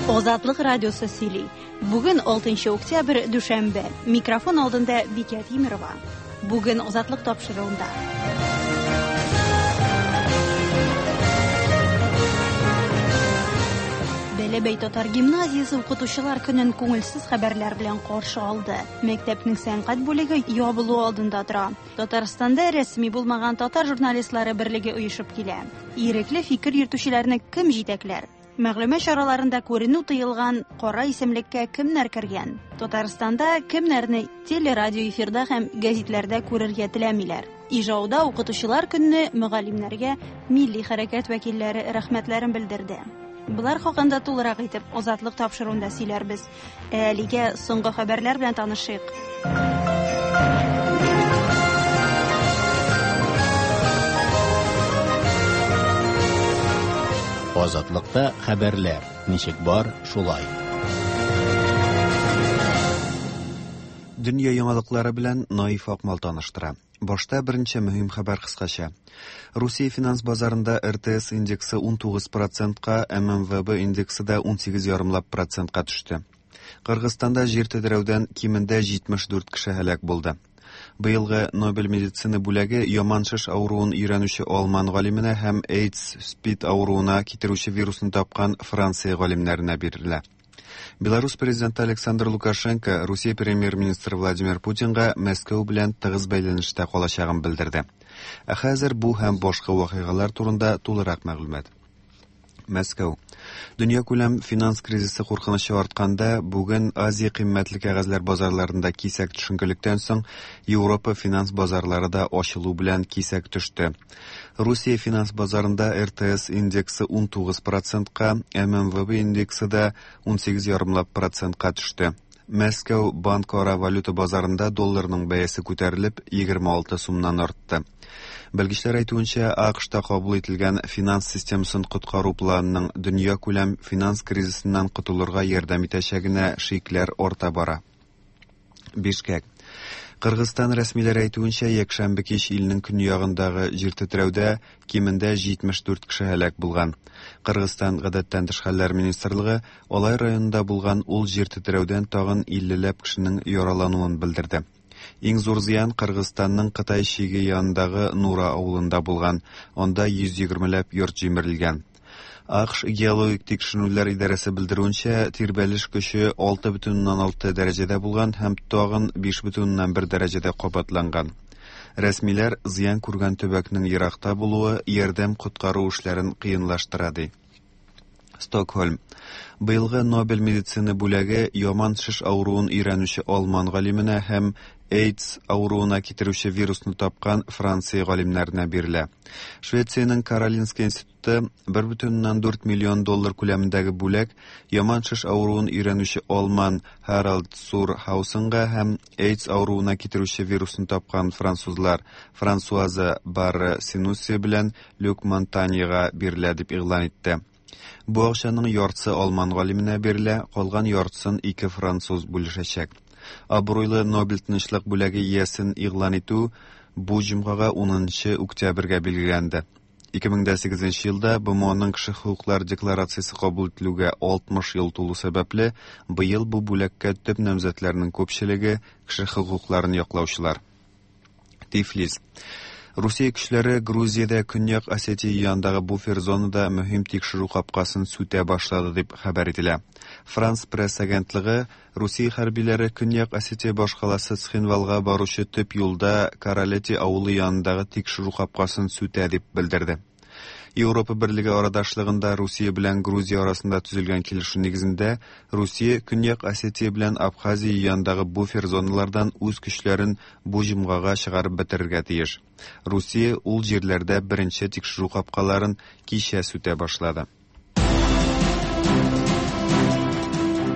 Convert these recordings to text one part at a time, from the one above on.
Азатлык радиосы сөйли. Бүген 6 октябрь, дүшәмбе. Микрофон алдында Бикә Тимерова. Бүген Азатлык тапшыруында. Бәләбәй татар гимназиясе укытучылар көнен күңелсез хәбәрләр белән каршы алды. Мәктәпнең сәнгать бүлеге ябылу алдында тора. Татарстанда рәсми булмаган татар журналистлары берлеге оешып килә. Ирекле фикер йөртүчеләрне кем җитәкләр? Мәгълүмат чараларында күренү тыелган кара исемлеккә кемнәр кергән? Татарстанда кемнәрне телерадио эфирда һәм гәзитләрдә күрергә теләмиләр? Ижауда укытучылар көнне мөгаллимнәргә милли хәрәкәт вәкилләре рәхмәтләрен белдерде. Болар хакында тулырак итеп Азатлык тапшыруында сөйләрбез. Ә әлегә соңгы хәбәрләр белән танышыйк. Азатлыкта хәбәрләр ничек бар, шулай. Дөнья яңалыклары белән Наиф Акмал таныштыра. Башта берничә мөһим хәбәр кыскача. Русия финанс базарында РТС индексы 19 процентка, ММВБ индексы да 18 ярымлап процентка төште. Кыргызстанда җир тетрәүдән кимендә 74 кеше һәлак булды. Быелгы Нобель медицина бүләге яман шеш авыруын өйрәнүче алман галименә һәм AIDS СПИД авыруына китерүче вирусны тапкан Франция галимнәренә бирелә. Беларусь президенты Александр Лукашенко Русия премьер-министры Владимир Путинга Мәскәү белән тыгыз бәйләнештә калачагын белдерде. Ә хәзер бу һәм башка вакыйгалар турында тулырак мәгълүмат. Мәскәү. Дөньякүләм финанс кризисы куркынычы артканда, бүген Азия кыйммәтле кәгазьләр базарларында кисәк төшенкелектән соң Европа финанс базарлары да ачылу белән кисәк төште. Русия финанс базарында РТС индексы 19 процентка, ММВБ индексы да 18 ярымлап процентка төште. Мәскәү банкара валюта базарында долларның бәясе күтәрелеп 26 сумнан артты. Белгечләр әйтүенчә, АКШта кабул ителгән финанс системасын коткару планының дөньякүләм финанс кризисыннан котылырга ярдәм итәчәгенә шикләр арта бара. Бишкек. Кыргызстан рәсмиләре әйтүенчә, якшәмбе кич илнең көньягындагы җир тетрәүдә кимендә 74 кеше һәлак булган. Кыргызстан гадәттән тыш хәлләр министрлыгы Алай районында булган ул җир тетрәүдән тагын 50 ләп кешенең яралануын белдерде. Иң зур зыян Кыргызстанның Кытай чиге янындагы Нура авылында булган. Анда 120 ләп йорт җимерелгән. АКШ геологик тикшеренүләр идарәсе белдерүенчә, тирбәлеш көче 6,6 дәрәҗәдә булган һәм тагын 5,1 дәрәҗәдә кабатланган. Рәсмиләр зыян күргән төбәкнең еракта булуы ярдәм-коткару эшләрен кыенлаштыра ди. Стокһольм. Быелгы Нобель медицина бүләге яман шеш авыруын өйрәнүче алман галименә һәм AIDS авыруына китерүче вирусны тапкан Франция галимнәренә бирелә. Швециянең Каролинска институты 1,4 миллион доллар күләмендәге бүләк яман шеш авыруын өйрәнүче алман Харалд Сур Хаусенга һәм AIDS авыруына китерүче вирусны тапкан французлар Франсуаза Барре Синусси белән Люк Монтаньега бирелә дип игълан итте. Бу акчаның яртысы алман галименә бирелә, калган яртысын ике француз бүлешәчәк. Абруйлы Нобель тынычлык бүләге иясен игълан итү бу җомгага 10 октябрьгә билгеләнде. 2008 елда БМОның кеше хокуклары декларациясе кабул ителүгә 60 ел тулу сәбәпле, быел бу бүләккә төп намзәтләрнең күпчелеге кеше хокукларын яклаучылар. Тифлис. Русия көчләре Грузиядә Көньяк Осетия янындагы буфер зонада мөһим тикшерү капкасын сүтә башлады дип хәбәр ителә. Франс Пресс агентлыгы Русия хәрбиләре Көньяк Осетия башкаласы Цхинвалга баручы төп юлда Каралети авылы янындагы тикшерү капкасын сүтә дип белдерде. Европа Берлеге арадашлыгында Русия белән Грузия арасында төзелгән килешү нигезендә Русия Көньяк Осетия белән Абхазия янындагы буфер зоналардан үз көчләрен бу җомгага чыгарып бетерергә тиеш. Русия ул җирләрдә беренче тикшерү капкаларын кичә сүтә башлады.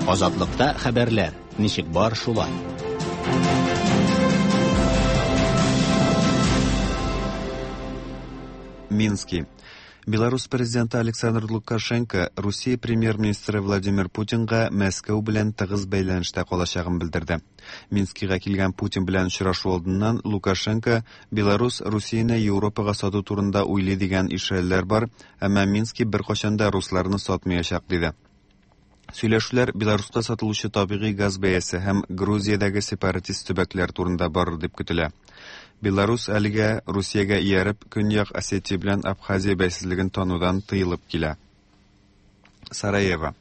Азатлыкта хәбәрләр ничек бар шулай. Мински. Беларусь президенты Александр Лукашенко Русия премьер-министры Владимир Путинга Мәскәү белән тыгыз бәйләнештә калачагын белдерде. Минскига килгән Путин белән очрашу алдыннан Лукашенко Беларусь Русияне Европага сату турында уйлый дигән ишарәләр бар, әмма Мински беркайчан да русларны сатмаячак диде. Сөйләшүләр Беларуска сатылучы табигый газ бәясе һәм Грузиядәге сепаратист төбәкләр турында барыр дип көтелә. Беларус әлегә Русиягә ияреп, Көньяк Осетия белән Абхазия бәйсезлеген танудан тыелып килә. Сараево.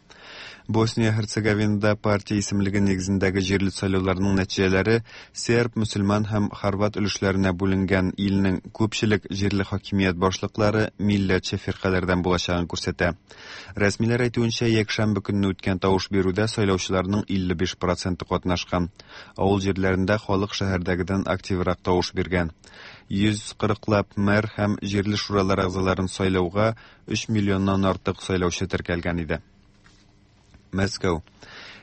Босния-Һерцеговинада партия исемлеге нигезендәге җирле сайлауларның нәтиҗәләре серб, мөселман һәм хорват өлешләренә бүленгән илнең күпчелек җирле хакимият башлыклары милләтче фиркаләрдән булачагын күрсәтә. Рәсмиләр әйтүенчә, якшәмбе көнне үткән тавыш бирүдә сайлаучыларның 55 проценты катнашкан. Авыл җирләрендә халык шәһәрдәгедән активрак тавыш биргән. 140 лап мэр һәм җирле шуралар әгъзаларын сайлауга 3 миллионнан артык сайлаучы теркәлгән иде. Мәскәү.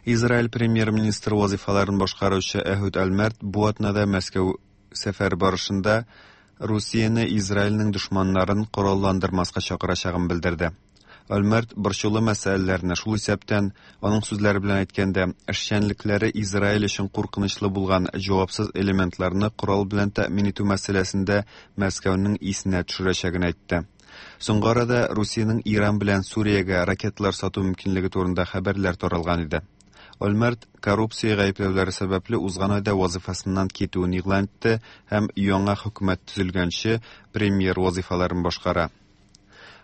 Израиль премьер-министры вазифаларын башкаручы Әһүд Альмерт бу атнада Мәскәү сәфәр барышында Русияне Израильнең дошманнарын коралландырмаска чакырачагын белдерде. Альмерт борчулы мәсьәләләрне, шул исәптән, аның сүзләре белән әйткәндә, эшчәнлекләре Израиль өчен куркынычлы булган җавапсыз элементларны корал белән тәэмин итү мәсьәләсендә Мәскәүнең исенә төшерәчәген әйтте. Соңгы арада Русиянең Иран белән Сүриягә ракеталар сату мөмкинлеге турында хәбәрләр таралган иде. Ольмерт коррупция гаепләүләре сәбәпле узган айда вазифасыннан китүен игълан итте һәм яңа хөкүмәт төзелгәнче премьер вазифаларын башкара.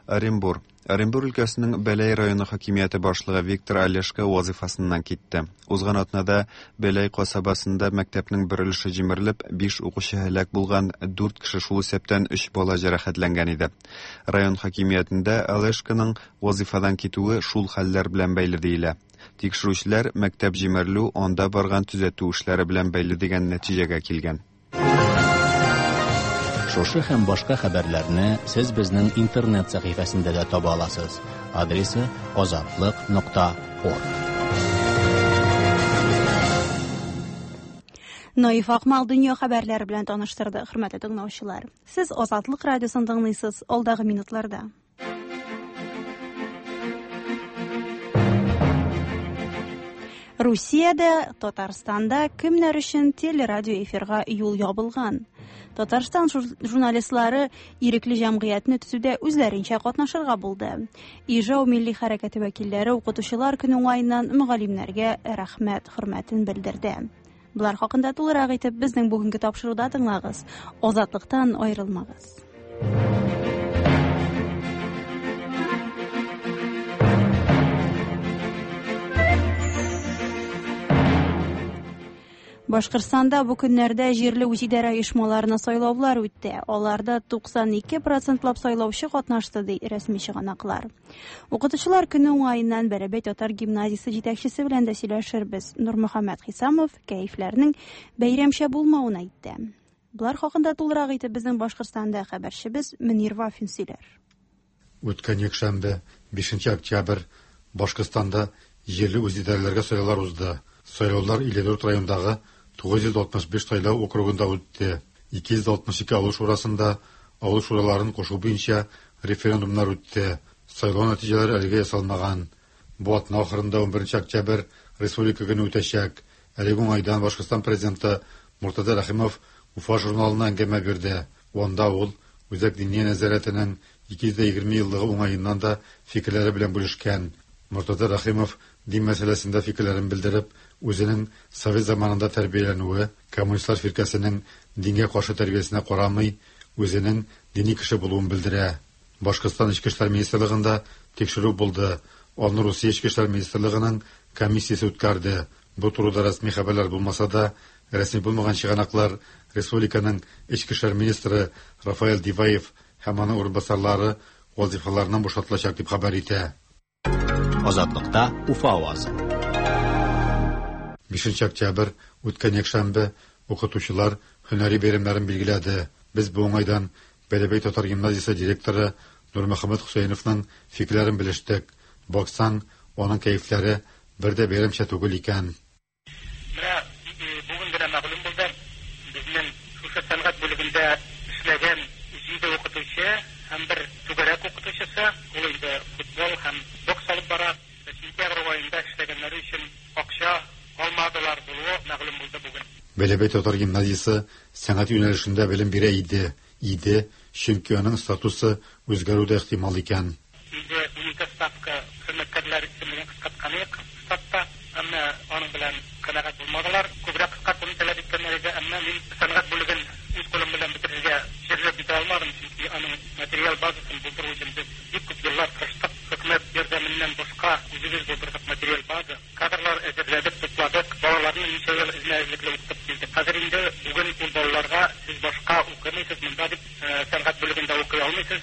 Оренбур. Оренбур өлкәсенең Бәләй районы хакимияте башлыгы Виктор Олешко вазифасыннан китте. Узган атнада Бәләй касабасында мәктәпнең бер өлеше җимерелеп, 5 укучы һәлак булган, 4 кеше, шул исәптән 3 бала җәрәхәтләнгән иде. Район хакимиятендә Олешконың вазифадан китүе шул хәлләр белән бәйле диелә. Тикшерүчеләр мәктәп җимерелү анда барган төзәтү эшләре белән бәйле дигән нәтиҗәгә килгән. Шушы һәм башка хәбәрләрне сез безнең интернет сәхифәсендә дә таба аласыз. Адресы azatliq.org. Наиф Акмал дөнья хәбәрләре белән таныштырды, хөрмәтле тыңлаучылар. Сез Азатлык радиосын тыңлыйсыз. Алдагы минутларда. Русиядә, Татарстанда кемнәр өчен телерадио эфирга юл ябылган? Татарстан журналистлары ирекле җәмгыятьне төзүдә үзләренчә катнашырга булды. Ижау милли хәрәкәте вәкилләре укытучылар көне уңаеннан мөгаллимнәргә рәхмәт хөрмәтен белдерде. Булар хакында тулырак итеп безнең бүгенге тапшыруда тыңлагыз. Азатлыктан аерылмагыз. Башкортстанда бу көннәрдә җирле үзидарә оешмаларына сайлаулар үтте. Аларда 92% сайлаучы катнашты, ди рәсми чыганаклар. Укытучылар көне уңаеннан Бәләбәй татар гимназиясе җитәкчесе белән дә сөйләшербез. Нурмөхәммәт Хисамов кәефләрнең бәйрәмчә булмавын әйтте. Булар хакында тулырак итеп безнең Башкортстанда хәбәрчебез Мөнир Вафин сөйләр. Үткән якшәмбе, 5 октябрь, Башкортстанда җирле үзидарәләргә сайлаулар узды. Сайлаулар 54 райондагы 965 сайлау округында үтте. 262 авыл шурасында авыл шураларын кушу буенча референдумнар үтте. Сайлау нәтиҗәләре әлегә ясалмаган. Бу атна ахырында 11 октябрь Республика көне үтәчәк. Әлеге уңайдан Башкортстан президенты Муртаза Рәхимов Уфа журналына әңгәмә бирде. Анда ул Үзәк диния нәзарәтенең 220 еллыгы уңаеннан да фикерләре белән бүлешкән. Муртаза Рәхимов дин мәсьәләсендә фикерләрен белдереп, үзенең совет заманында тәрбияләнүе, коммунистлар фиркәсенең дингә каршы тәрбиясенә карамый, үзенең дини кеше булуын белдерә. Башкортстан Эчке эшләр министрлыгында тикшерү булды. Аны Русия Эчке эшләр министрлыгының комиссиясе үткәрде. Бу турыда рәсми хәбәрләр булмаса да, рәсми булмаган чыганаклар республиканың Эчке эшләр министры Рафаэль Диваев һәм аның урынбасарлары вазифаларыннан бушатылачак дип хәбәр итә. Азатлыкта Уфа авазы. 5 октябрь үткән якшәмбе укытучылар һөнәри бәйрәмнәрен билгеләде. Без бу уңайдан Бәләбәй татар гимназиясе директоры Нурмөхәммәт Хөсәеновның фикерләрен белештек. Баксаң, аның кәефләре бер дә бәйрәмчә түгел икән. Менә бүген генә мәгълүм булды, безнең шушы сәнгать бүлегендә эшләгән 7 укытучы һәм бер түгәрәк укытучысы, ул инде футбол һәм бокс алып бара. Сентябрь аенда эшләгәннәре өчен акча алмадылар булуы мәгълүм булды бүген. Бәләбәй татар гимназиясе сәнгать юнәлешендә белем бирә иде. Иде, чөнки аның статусы үзгәрү дә ихтимал икән. Инде 12 ставка хезмәткәрләр исемлеген кыскарткан идек штатта, әмма аның белән канәгать булмадылар. Күбрәк кыскартуны таләп иткәннәр иде, әмма мин сәнгать бүлеген үз кулым белән бетерергә җирләп бетә алмадым, чөнки аның материал базасын булдыру өчен без бик күп еллар тырыштык. Хөкүмәт ярдәменнән башка үзебез булдырдык материал база. Кадрлар әзерләдек, тупладык, балаларны ничә ел эзмә-эзлекле укытып килдек. Хәзер инде бүген ул балаларга сез башка укымыйсыз монда дип, сәнгать бүлегендә укый алмыйсыз,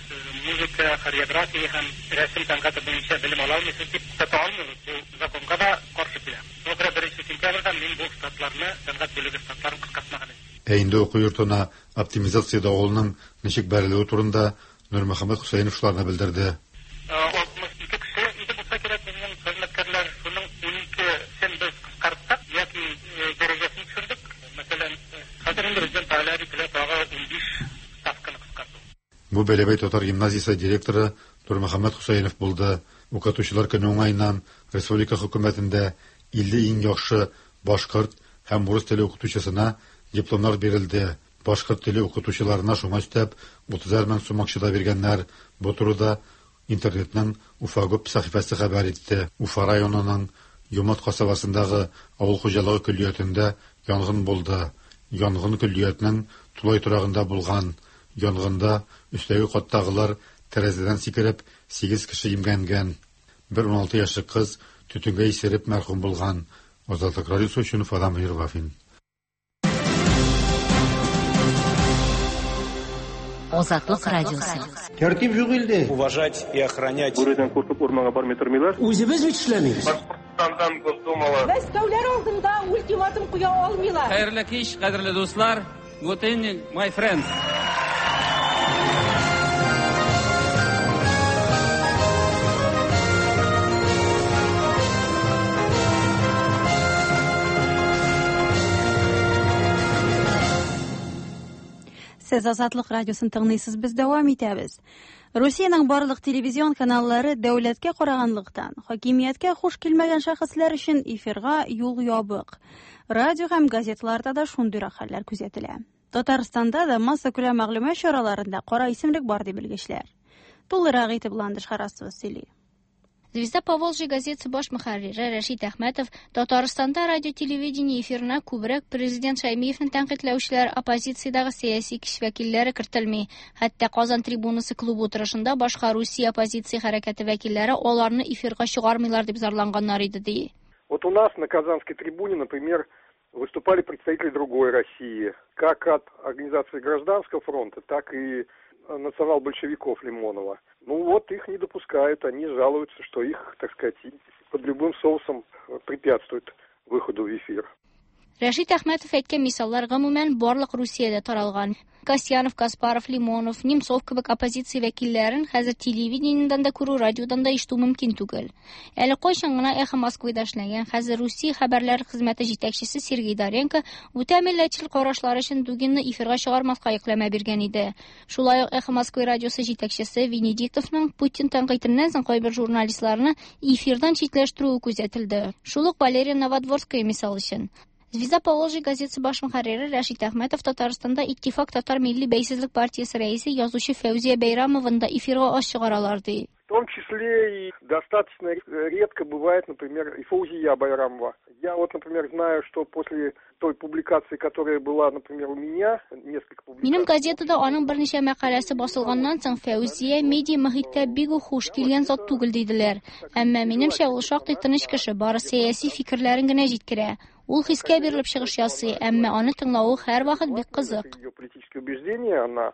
музыка, хореография һәм рәсем сәнгате буенча белем ала алмыйсыз дип туктата алмыйбыз. Бу законга да каршы килә. Шуңа күрә 1 сентябрьдән мин бу штатларны, сәнгать бүлеге штатларын кыскартмаган идем. Ә инде уку йортына оптимизация давылының ничек бәрелүе турында Нурмөхәммәт Хөсәенов шуларны белдерде. 62 кеше иде булса кирәк безнең хезмәткәрләр, шуның 12-сен без кыскарттык яки дәрәҗәсен төшердек. Мәсәлән, хәзер инде бездән таләп ителә тагы 15 ставканы кыскарту. Бу Бәләбәй татар гимназиясе директоры Нурмөхәммәт Хөсәенов булды. Укытучылар көне уңаеннан республика хөкүмәтендә 50 иң яхшы башкорт һәм урыс теле укытучысына дипломнар бирелде. Башкорт теле укытучыларына шуңа өстәп 30 мең сум акча да биргәннәр. Бу турыда интернетның Уфагуб сәхифәсе хәбәр итте. Уфа районының Йомат касабасындагы авыл хуҗалыгы көллиятендә янгын булды. Янгын көллиятнең тулай торагында булган. Янгында өстәге каттагылар тәрәзәдән сикереп 8 кеше имгәнгән. Бер 16 яшьлек кыз төтенгә исереп мәрхүм булган. Азатлык радиосы өчен Уфадан Мөнир Вафин. Азатлык радиосы. Тәртип юк илдә. Уважать и охранять. Бүредән куркып урманга бармый тормыйлар. Үзебез бит эшләмибез. Башкортстандан Госдумала. Мәскәүләр алдында ультиматум куя алмыйлар. Хәерле кич, кадерле дуслар. Good evening, my friends. Сез Азатлык радиосын тыңлыйсыз, без дәвам итәбез. Русиянең барлык телевизион каналлары дәүләткә караганлыктан, хакимияткә хуш килмәгән шәхесләр өчен эфирга юл ябык. Радио һәм газеталарда да шундыйрак хәлләр күзәтелә. Татарстанда да массакүләм мәгълүмат чараларында кара исемлек бар дип белгечләр. Тулырак итеп Ландыш Харасова сөйли. Звезда Поволжья газетасы баш мөхәррире Рәшит Әхмәтов Татарстанда радио-телевидение эфирына күбрәк президент Шәймиевне тәнкыйтьләүчеләр, оппозициядәге сәяси көч вәкилләре кертелми. Хәтта Казан трибунасы клубы утырышында башка Русия оппозиция хәрәкәте вәкилләре аларны эфирга чыгармыйлар дип зарланганнар иде ди. Вот у нас на Казанской трибуне, например, выступали представители другой России, как от организации Гражданского фронта, так и национал-большевиков Лимонова. Ну вот их не допускают, они жалуются, что их, так сказать, под любым соусом препятствуют выходу в эфир. Рәшит Әхмәтов әйткән мисаллар гомумән барлык Русиядә таралган. Касьянов, Каспаров, Лимонов, Немцов кебек оппозиция вәкилләрен хәзер телевидениедән дә күрү, радиодан да ишетү мөмкин түгел. Әле кайчан гына Эхо Москвыда эшләгән, хәзер Русия хәбәрләр хезмәте җитәкчесе Сергей Доренко үтә милләтчел карашлары өчен Дугинны эфирга чыгармаска йөкләмә биргән иде. Шулай ук Эхо Москвы радиосы җитәкчесе Венедиктовның Путин тәнкыйтеннән соң кайбер журналистларны эфирдан читләштерүе күзәтелде. Шул ук Валерия Новодворская мисал өчен. Звезда Поволжья газетасы баш мөхәррире Рәшит Әхмәтов Татарстанда Иттифак татар милли бәйсезлек партиясе рәисе язучы Фәүзия Бәйрамованы да эфирга аз чыгаралар ди. В том числе и достаточно редко бывает, например, и Фаузия Байрамова. Я вот, например, знаю, что после той публикации, которая была, например, у меня, несколько публикаций... Минем газетада аның берничә мәкаләсе басылганнан соң Фәүзия медиа мөхиттә бик үк хуш килгән зат түгел диделәр. Әмма минемчә ул шактый тыныч кеше, бары сәяси фикерләрен генә җиткерә. Ул хискә бирелеп чыгыш ясый, әмма аны тыңлавы һәрвакыт бик кызык. Ее политические убеждения, она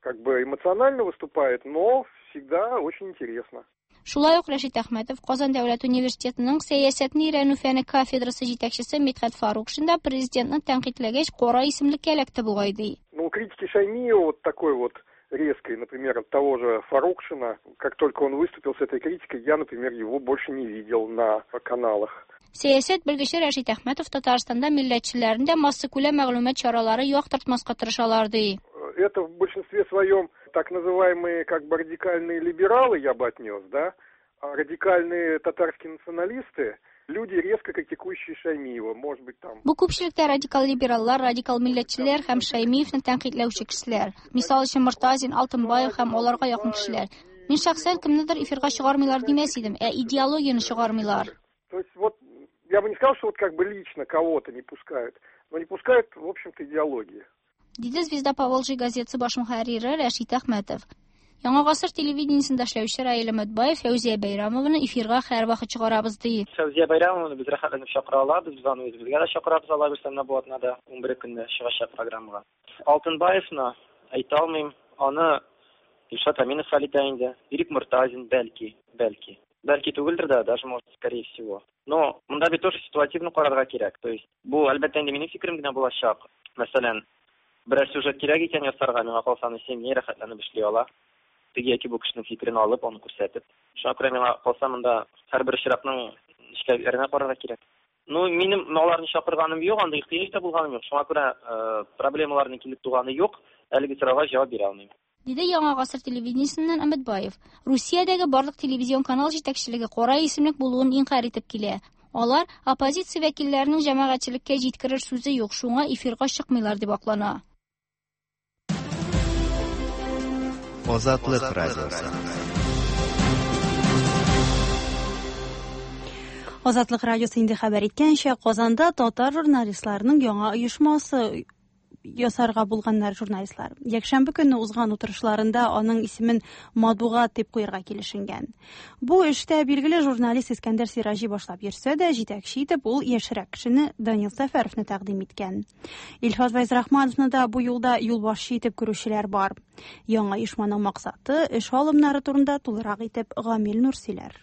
как бы эмоционально выступает, но всегда очень интересно. Шулай ук Рәшит Әхмәтов Казан дәүләт университетының сәясәтне өйрәнү фәне кафедрасы җитәкчесе Мидхәт Фарукшин да президентны тәнкыйтьләгәч кара исемлеккә эләкте бугай ди. Ну, критики Шаймиева вот такой вот резкой, например, от того же Фарукшина, как только он выступил с этой критикой, я, например, его больше не видел на каналах. Сәясәт белгече Рәшит Әхмәтов Татарстанда милләтчеләрне дә массакүләм мәгълүмат чаралары яктыртмаска тырышалар ди. Это в большинстве своем так называемые как бы радикальные либералы, я бы отнес, да, а радикальные татарские националисты, люди, резко критикующие Шаймиева, может быть, там... Бу күпчелектә радикал либераллар, радикал милләтчеләр һәм Шаймиевны тәнкыйтьләүче кешеләр. Мисал өчен, Мортазин, Алтынбаев һәм аларга якын кешеләр. Мин шәхсән кемнедер эфирга чыгармыйлар димәс идем, ә идеологияне чыгармыйлар. То есть вот я бы не сказал, что вот как бы лично кого-то не пускают, но не пускают, в общем-то, идеологии. Диде Звезда Поволжья газетасы баш мөхәррире Рәшит Әхмәтов. Яңа гасыр телевидениесендә эшләүче Раил Өметбаев Фәүзия Бәйрәмованы эфирга һәрвакыт чыгарабыз ди. Фәүзия Бәйрәмованы без рәхәтләнеп чакыра алабыз, без аны үзебезгә дә чакырабыз, Алла бирсә, менә бу атнада 11 көнне чыгачак программага. Алтынбаевны әйтә алмыйм, аны Илшат Әминов хәл итә инде. Ирек Мортазин, бәлки, бәлки. Бәлки түгелдер дә, даже может, скорее всего. Но монда бит тоже ситуативно карарга кирәк. То есть бу, әлбәттә инде, минем фикерем генә булачак. Мәсәлән, берәр сюжет кирәк икән ясарга, миңа калса, аны 7 рәхәтләнеп эшли ала. Теге яки бу кешенең фикерен алып, аны күрсәтеп. Шуңа күрә миңа калса, монда һәрбер очракның нечкәлекләренә карарга кирәк. Ну, минем аларны чакырганым юк, андый ихтыяҗ да булганым юк. Шуңа күрә проблемаларның килеп туганы юк. Әлеге сорауга җавап бирә алмыйм. Диде Яңа гасыр телевидениесеннән Өметбаев. Русиядәге барлык телевизион канал җитәкчелеге кара исемлек булуын инкарь итеп килә. Алар оппозиция вәкилләренең җәмәгатьчелеккә җиткерер сүзе юк, шуңа эфирга чыкмыйлар дип аклана. Азатлык радиосы. Азатлык радиосы инде хәбәр иткәнчә, Казанда татар журналистларының яңа оешмасы ясарга булганнар журналистлар. Якшәмбе көнне узган утырышларында аның исемен Матбугат дип куярга килешенгән. Бу эштә билгеле журналист Искәндәр Сираҗи башлап йөрсә дә, җитәкче итеп ул яшьрәк кешене Данил Сәфәровны тәкъдим иткән. Илфат Фәйзрахмановны да бу юлда юлбашчы итеп күрүчеләр бар. Яңа оешманың максаты, эш алымнары турында тулырак итеп Гамил Нур сөйләр.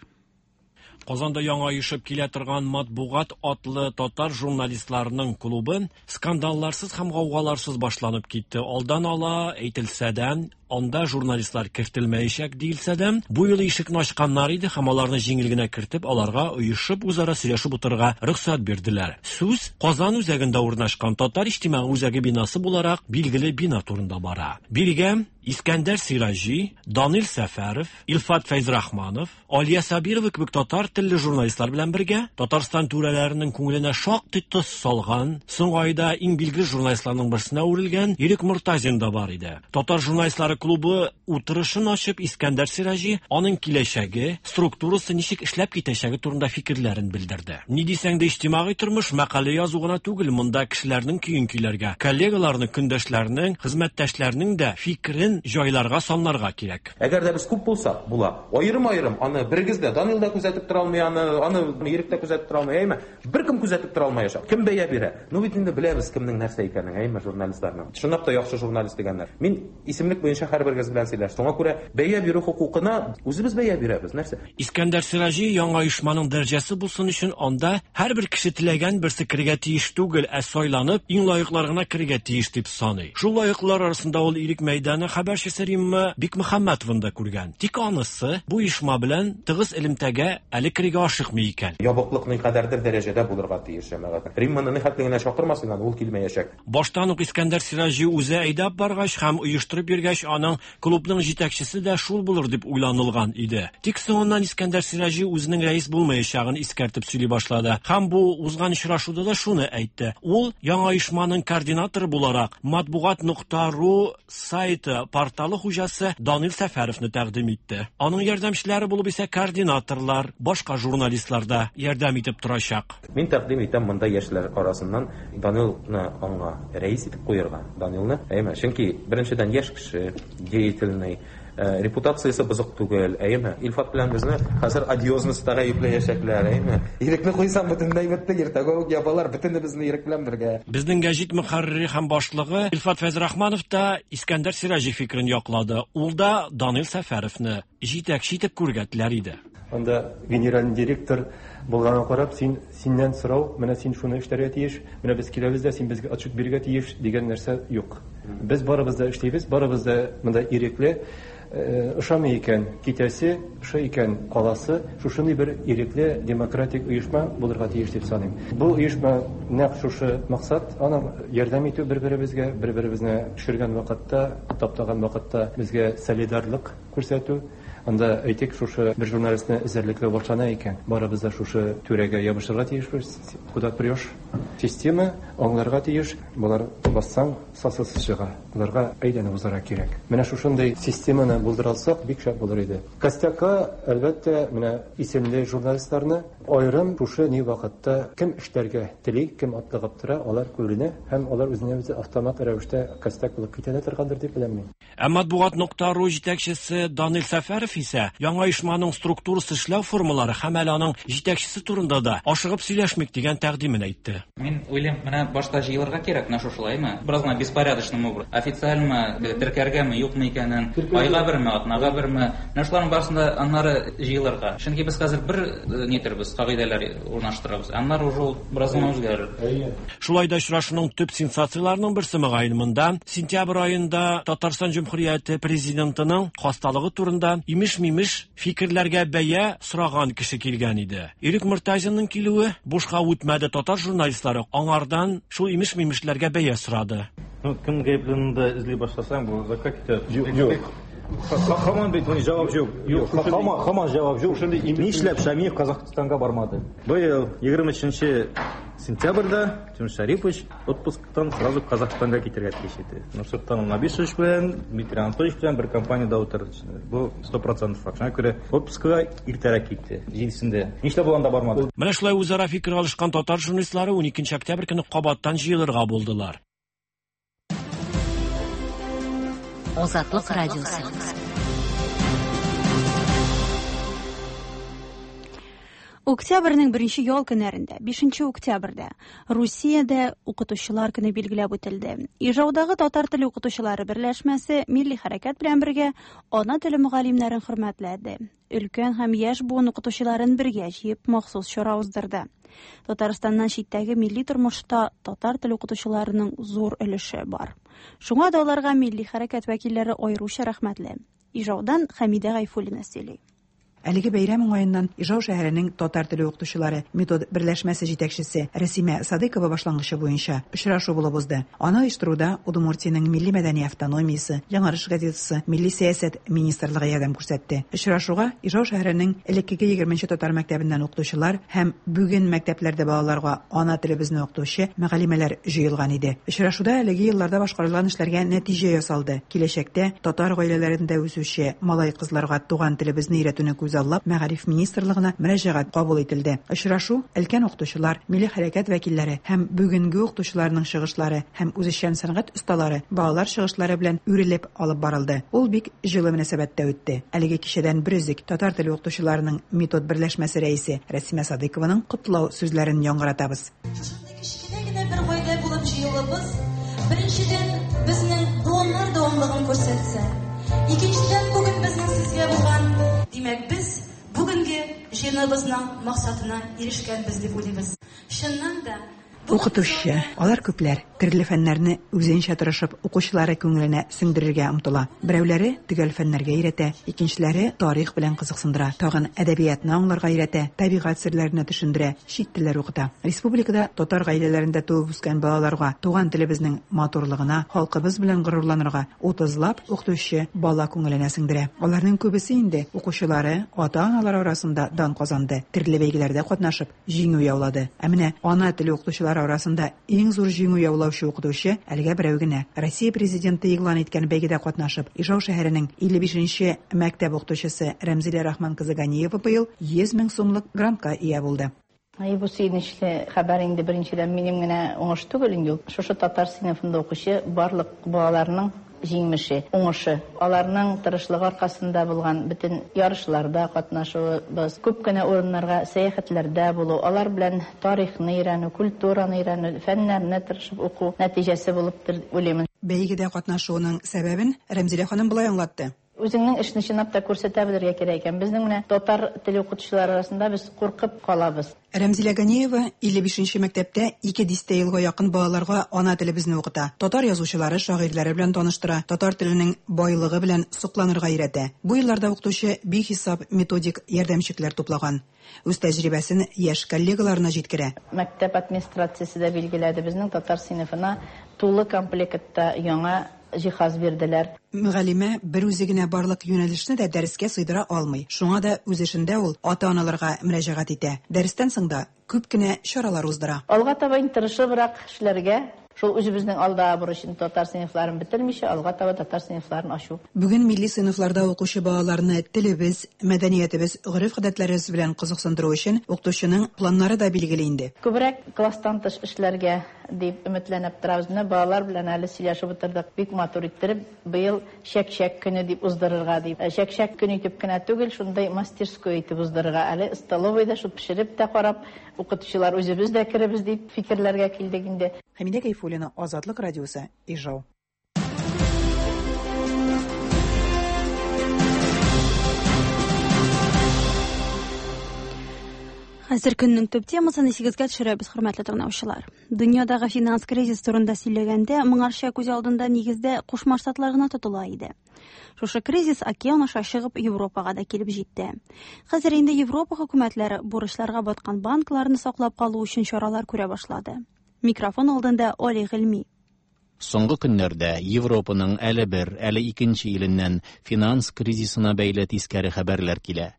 Казанда яңа оешып килә торган Матбугат атлы татар журналистларының клубы скандалларсыз һәм гаугаларсыз башланып китте. Алдан ала әйтелсә дә, анда журналистлар кертелмәячәк диелсә дә, бу юлы ишекне ачканнар иде һәм аларны җиңел генә кертеп, аларга оешып үзара сөйләшеп утырырга рөхсәт бирделәр. Сүз Казан үзәгендә урнашкан Татар иҗтимагый үзәге бинасы буларак билгеле бина турында бара. Бирегә Искәндәр Сираҗи, Данил Сәфәров, Илфат Фәйзрахманов, Алия Сабирова кебек татар телле журналистлар белән бергә Татарстан түрәләренең күңеленә шактый тоз салган, соңгы айда иң билгеле журналистларның берсенә әверелгән Ирек Мортазин да бар иде. Татар журналистлары клубы утырышын ачып, Искәндәр Сираҗи аның киләчәге, структурасы ничек эшләп китәчәге турында фикерләрен белдерде. Ни дисәң дә, иҗтимагый тормыш мәкалә язу гына түгел, монда кешеләрнең көен көйләргә, коллегаларның, көндәшләрнең, хезмәттәшләрнең дә фикерен җайларга, санларга кирәк. Әгәр дә без күп булсак, була. Аерым-аерым, аны берегез дә, Данил да күзәтеп тора алмый, аны Ирек тә күзәтеп тора алмый, әйме? Беркем күзәтеп тора алмаячак. Кем бәя бирә? Ну бит инде беләбез кемнең нәрсә икәнен, әйме, журналистларның. Чынлап та яхшы журналист дигәннәр. Мин исемлек буенча һәрберегез белән сөйләштем. Шуңа күрә бәя бирү хокукына үзебез бәя бирәбез. Нәрсә? Искәндәр Сираҗи яңа оешманың дәрәҗәсе булсын өчен анда һәрбер кеше теләгән берсе керергә тиеш түгел, ә сайланып иң лаеклар гына керергә тиеш дип саный. Шул лаеклар арасында ул Ирек мәйданы хәбәрчесе Римма Бикмөхәммәтованы да күргән. Тик анысы бу оешма белән тыгыз элемтәгә әле керергә ашыкмый икән. Ябыклык никадәрдер дәрәҗәдә булырга тиеш, җәмәгать. Римманы нихәтле генә чакырмасын, ул килмәячәк. Баштан ук Искәндәр Сираҗи үзе әйдәп баргач һәм оештырып йөргәч, аның клубның җитәкчесе дә шул булыр дип уйланылган иде. Тик соңыннан Искәндәр Сираҗи үзенең рәис булмаячагын искәртеп сөйли башлады. Һәм бу узган очрашуда да шуны әйтте. Ул яңа оешманың координаторы буларак матбугат.ру сайты порталы хуҗасы Данил Сәфәровны тәкъдим итте. Аның ярдәмчеләре булып исә координаторлар, башка журналистлар да ярдәм итеп торачак. Мин тәкъдим итәм монда яшьләр арасыннан Данилны аңа рәис итеп куярга. Данилны, әйме, чөнки беренчедән яшь кеше, деятельный, репутациясе бозык түгел, әйме. Илфат белән безне хәзер одиозностьта гаепләячәкләр, әйме. Ирекне куйсам бөтенләй бетте, иртәгә үк ябалар, бөтенебезне Ирек белән бергә. Безнең гәҗит мөхәррире һәм башлыгы Илфат Фәйзрахманов та Искәндәр Сираҗи фикерен яклады. Ул да Данил Сәфәровны җитәкче итеп күрергә теләр иде. Анда генеральный директор булганга карап, синнән сорау, менә син шуны эшләргә тиеш, менә без киләбез дә, син безгә отчет бирергә тиеш дигән нәрсә юк. Без барыбыз да эшлибез, барыбыз да монда ирекле. Ошамый икән китәсе, ошый икән каласы, шушындый бер ирекле демократик оешма булырга тиеш дип саныйм. Бу оешма нәкъ шушы максат, аның ярдәм итү бер-беребезгә, бер-беребезне төшергән вакытта, таптаган вакытта безгә солидарлык күрсәтү. Анда, әйтик, шушы бер журналистны эзәрлекләү башлана икән, барыбыз да шушы түрәгә ябышырга тиешбез. Куда прешь? Система аңларга тиеш, болар бассаң, сасысы чыга. Боларга әйләнеп узарга кирәк. Менә шушындый системаны булдыра алсак, бик шәп булыр иде. Костякка, әлбәттә, менә исемле журналистларны аерым шушы ни вакытта кем эшләргә тели, кем атлыгып тора, алар күренә һәм алар үзенә-үзе автомат рәвештә костяк булып китә дә торгандыр дип беләм мин. Ә Матбугат нокта ру җитәкчесе Данил Сәфәров исә яңа оешманың структурасы эшләү формалары һәм әле аның җитәкчесе турында да ашыгып сөйләшмик дигән тәкъдимен әйтте. Мин уйлыйм, менә башта җыелырга кирәк, менә шушылаймы? Бераз гына беспорядочным образом. Официальмы, теркәргәме, юкмы икәнен, айга берме, атнага берме. Менә шуларның барысын да аннары җыелырга. Чөнки без хәзер бер нитербез, кагыйдәләр урнаштырабыз. Аннары уже ул бераз гына үзгәрер. Шулай да очрашуның төп сенсацияләренең берсе мөгаен монда сентябрь аенда Татарстан Җөмһүрияте президентының хасталыгы турында имеш-мимеш фикерләргә бәя сораган кеше килгән иде. Ирек Мортазинның килүе бушка үтмәде, татар журналистлары аңардан шул имеш-мимешләргә бәя сорады. Ну, кем гаепле да эзли башласаң, бу озакка китә. Юк. Һаман бит җавап юк. Юк, һаман һаман җавап юк. Нишләп Шамиев Казахстанга бармады? Быел 23 сентябрьдә Тимур Шарипович отпусктан сразу Казахстанга китәргә тиеш иде. Нурсултан Набишевич белән Дмитрий Анатольевич белән бер компаниядә утырды. Бу 100% факт. Шуңа күрә отпускага иртәрәк китте. Җидесендә. Нишләп ул анда бармады? Менә шулай үзара фикер алышкан татар журналистлары 12 октябрь көне кабаттан җыелырга булдылар. Азатлык радиосы. Октябрьнең беренче ял көннәрендә, 5 октябрьдә, Русиядә укытучылар көне билгеләп үтелде. Ижаудагы татар теле укытучылары берләшмәсе милли хәрәкәт белән бергә ана теле мөгаллимнәрен хөрмәтләде. Өлкән һәм яшь буын укытучыларын бергә җыеп махсус чара уздырды. Татарстаннан читтәге милли тормышта татар теле укытучыларының зур өлеше бар. Шуңа да аларга милли хәрәкәт вәкилләре аеруча рәхмәтле. Ижаудан Хәмидә Гайфуллина сөйли. Әлеге бәйрәм уңаеннан Ижау шәһәренең татар теле укытучылары метод берләшмәсе җитәкчесе Рәсимә Садыйкова башлангычы буенча очрашу булып узды. Аны оештыруда Удмуртиянең милли-мәдәни автономиясе, Яңарыш газетасы, Милли сәясәт министрлыгы ярдәм күрсәтте. Очрашуга Ижау шәһәренең элеккеге егерменче татар мәктәбеннән укытучылар һәм бүген мәктәпләрдә балаларга ана телебезне укытучы мөгаллимәләр җыелган иде. Очрашуда әлеге елларда башкарылган эшләргә нәтиҗә ясалды. Киләчәктә татар гаиләләрендә үсүче малай-кызларга туган телебезне өйрәтүне күзаллап, Мәгариф министрлыгына мөрәҗәгать кабул ителде. Очрашу өлкән укытучылар, милли хәрәкәт вәкилләре һәм бүгенге укытучыларның чыгышлары һәм үзешчән сәнгать осталары, балалар чыгышлары белән үрелеп алып барылды. Ул бик җылы мөнәсәбәттә үтте. Әлеге кичәдән бер өзек татар теле укытучыларының метод берләшмәсе рәисе Рәсимә Садыйкованың котлау сүзләрен яңгыратабыз. Шушындый кечкенә генә бер гаилә булып җыелуыбыз, беренчедән, безнең буыннар дәвамлыгын күрсәтсә, икенчедән, бүген безнең сезгә булган, димәк, без бүгенге җыеныбызның максатына ирешкәнбез дип уйлыйбыз. Чыннан да, Укытучы. Алар күпләр. Төрле фәннәрне үзенчә тырышып, укучылары күңеленә сеңдерергә омтыла. Берәүләре төгәл фәннәргә өйрәтә, икенчеләре тарих белән кызыксындыра, тагын әдәбиятны аңларга өйрәтә, табигать серләренә төшендерә, чит телләр укыта. Республикада татар гаиләләрендә туып үскән балаларга туган телебезнең матурлыгына, халкыбыз белән горурланырга утызлап укытучы бала күңеленә сеңдерә. Аларның күбесе инде укучылары, ата-аналары арасында дан казанды, төрле бәйгеләрдә катнашып, җиңү яулады. Ә менә ана теле укытучылары арасында иң зур җиңү яулаучы укытучы әлегә берәү генә. Россия Президенты игълан иткән бәйгедә катнашып, Ижау шәһәренең 55 нче мәктәп укытучысы Рәмзилә Рахман кызы Ганиева быел 100 мең сумлык грантка ия булды. Әй, бу сөенечле хәбәр инде, беренчедән, минем генә уңыш түгел инде ул. Шушы татар сыйныфында укучы барлык балаларның җиңмеше, уңышы. Аларның тырышлыгы аркасында булган бөтен ярышларда катнашуыбыз, күп кенә урыннарга сәяхәтләрдә булу, алар белән тарихны өйрәнү, культураны өйрәнү, фәннәрне тырышып уку нәтиҗәсе булыптыр дип уйлыймын. Бәйгедә катнашуының сәбәбен Рәмзилә ханым болай аңлатты. Үзеңнең эшне чынлап та күрсәтә белергә кирәк икән. Безнең менә татар теле укытучылары арасында без куркып калабыз. Рәмзилә Ганиева 55 нче мәктәптә ике дистә елга якын балаларга ана телебезне укыта, татар язучылары, шагыйрьләре белән таныштыра, татар теленең байлыгы белән сокланырга өйрәтә. Бу елларда укытучы бихисап методик ярдәмчекләр туплаган. Үз тәҗрибәсен яшь коллегаларына җиткерә. Мәктәп администрациясе дә билгеләде, безнең татар сыйныфына тулы комплектта яңа. җиһаз бирделәр. Мөгаллимә бер үзе генә барлык юнәлешне дә дәрескә сыйдыра алмый. Шуңа да үз эшендә ул ата-аналарга мөрәҗәгать итә. Дәрестән соң да күп кенә чаралар уздыра. Алга таба инде тырышыбрак эшләргә, шул үзебезнең алдагы бурычны татар сыйныфларын бетермичә, алга таба татар сыйныфларын ачу. Бүген милли сыйныфларда укучы балаларны телебез, мәдәниятебез, гореф-гадәтләребез белән кызыксындыру өчен укытучының планнары да билгеле инде. Күбрәк класстан тыш эшләргә дип өметләнеп торабыз. Менә балалар белән әле сөйләшеп утырдык. Бик матур иттереп, быел Чәк-чәк көне дип уздырырга дип. Чәк-чәк көне итеп кенә түгел, шундый мастерской итеп уздырырга. Әле столовыйда шул пешереп тә карап, укытучылар үзебез дә керебез дип фикерләргә килдек инде. Хәмидә Гайфуллина, Азатлык радиосы, Ижау. Хәзер көннең төп темасын исегезгә төшерәбез, хөрмәтле тыңлаучылар. Дөньядагы финанс кризис турында сөйләгәндә, моңарча күз алдында нигездә Кушма Штатлар гына тотыла иде. Шушы кризис океан аша чыгып Европага да килеп җитте. Хәзер инде Европа хөкүмәтләре бурычларга баткан банкларны саклап калу өчен чаралар күрә башлады. Микрофон алдында Оли Гыйльми. Соңгы көннәрдә Европаның әле бер, әле икенче иленнән финанс кризисына бәйле тискәре хәбәрләр килә.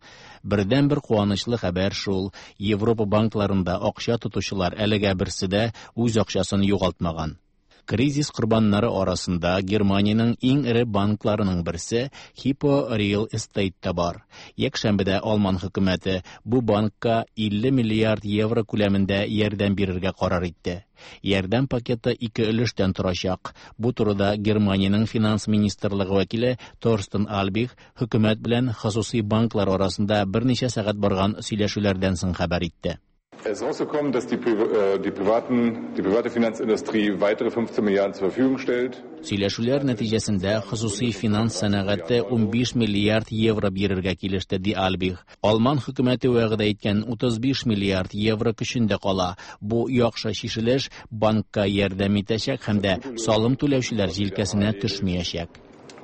Бердәнбер куанычлы хәбәр шул, Европа банкларында акча тотучылар әлегә берсе дә үз акчасын югалтмаган. Кризис корбаннары арасында Германиянең иң эре банкларының берсе Hippo Real Estate та бар. Якшәмбедә Алман хөкүмәте бу банкка 50 миллиард евро күләмендә ярдәм бирергә карар итте. Ярдәм пакеты ике өлештән торачак. Бу турыда Германиянең финанс министрлыгы вәкиле Торстен Альбих хөкүмәт белән хосусый банклар арасында берничә сәгать барган сөйләшүләрдән соң хәбәр итте. Es ist rausgekommen, dass die, äh, die, privaten, die private Finanzindustrie weitere 15 Milliarden zur Verfügung stellt. Сөйләшүләр нәтиҗәсендә хосусый финанс сәнәгате 15 миллиард евро бирергә килеште, ди Альбих. Алман хөкүмәте вәгъдә иткән 35 миллиард евро көчендә кала. Бу яхшы чишелеш банкка ярдәм итәчәк һәм дә салым түләүчеләр җилкәсенә төшмиячәк.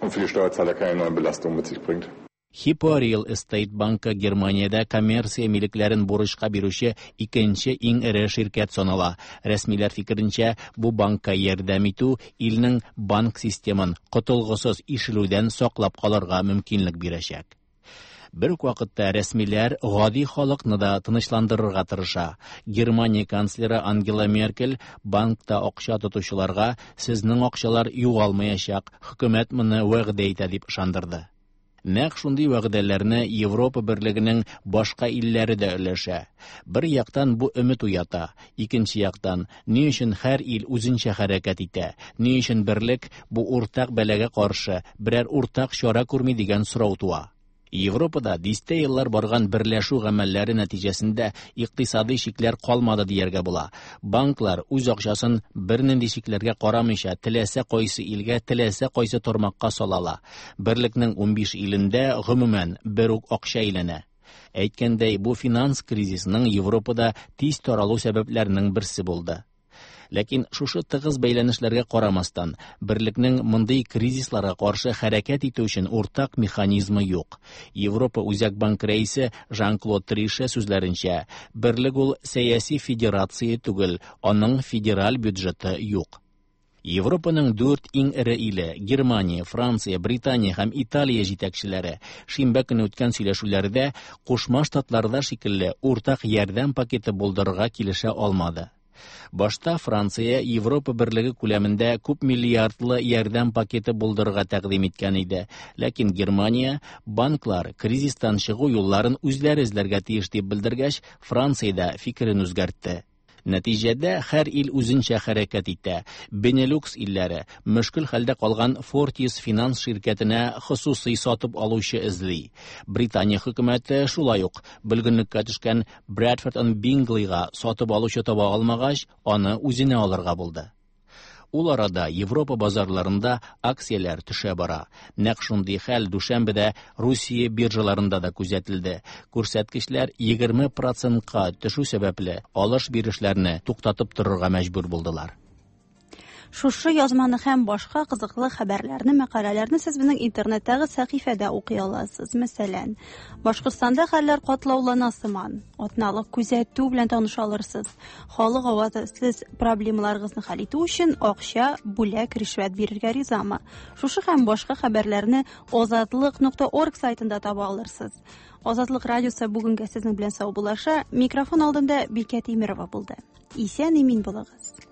Und für die Steuerzahler keine neuen Belastungen mit sich bringt. Hippo Real Estate банкы Германиядә коммерция милекләрен бурычка бирүче икенче иң эре ширкәт санала. Рәсмиләр фикеренчә, бу банкка ярдәм итү илнең банк системын котылгысыз ишелүдән саклап калырга мөмкинлек бирәчәк. Бер үк вакытта рәсмиләр гади халыкны да тынычландырырга тырыша. Германия канцлеры Ангела Меркель банкта акча тотучыларга сезнең акчалар югалмаячак, хөкүмәт моны вәгъдә итә дип ышандырды. Нәкъ шундый вәгъдәләрне Европа берлегенең башка илләре дә өләшә. Бер яктан бу өмет уята, икенче яктан, ни өчен һәр ил үзенчә хәрәкәт итә, ни өчен берлек бу уртак бәлагә каршы берәр уртак чара күрми дигән сорау туа. Европада дистә еллар барган берләшү гамәлләре нәтиҗәсендә икътисадый чикләр калмады дияргә була. Банклар үз акчасын бернинди чикләргә карамыйча теләсә кайсы илгә, теләсә кайсы тармакка сала ала. Берлекнең 15 илендә гомумән бер үк акча әйләнә. Әйткәндәй, бу финанс кризисының Европада тиз таралу сәбәпләренең берсе булды. Ләкин шушы тыгыз бәйләнешләргә карамастан, берлекнең мондый кризисларга каршы хәрәкәт итү өчен уртак механизмы юк. Европа Үзәк банк рәисе Жан-Клод Трише сүзләренчә, берлек ул сәяси федерация түгел, аның федераль бюджеты юк. Европаның дүрт иң эре иле Германия, Франция, Британия һәм Италия җитәкчеләре шимбә көне үткән сөйләшүләрдә Кушма Штатларда шикелле уртак ярдәм пакеты булдырырга килешә алмады. Башта Франция Европа берлеге күләмендә күп миллиардлы ярдәм пакеты булдырырга тәкъдим иткән иде. Ләкин Германия банклар кризистан чыгу юлларын үзләре эзләргә тиеш дип белдергәч, Франция дә фикерен үзгәртте. Нәтиҗәдә һәр ил үзенчә хәрәкәт итә. Бенелюкс илләре мөшкел хәлдә калган Fortis финанс ширкәтенә хосусый сатып алучы эзли. Британия хөкүмәте шулай ук бөлгенлеккә төшкән Bradford and Bingley-га сатып алучы таба алмагач, аны үзенә алырга булды. Ул арада Европа базарларында акцияләр төшә бара. Нәкъ шундый хәл дүшәмбедә Русия биржаларында да күзәтелде. Күрсәткечләр 20 процентка төшү сәбәпле алыш-бирешләрне туктатып торырга мәҗбүр булдылар. Шушы язманы һәм башка кызыклы хәбәрләрне, мәкаләләрне сез безнең интернеттагы сәхифәдә укый аласыз. Мәсәлән, Башкортстанда хәлләр катлаулана сыман. Атналык күзәтү белән таныша алырсыз. Халык авазы сез проблемаларыгызны хәл итү өчен акча, бүләк, ришвәт бирергә ризамы? Шушы һәм башка хәбәрләрне озатлык.орг сайтында таба алырсыз. Азатлык радиосы бүгенгә сезнең белән саубуллаша. Микрофон алдында Бикә Тимирова булды. Исән имин булыгыз.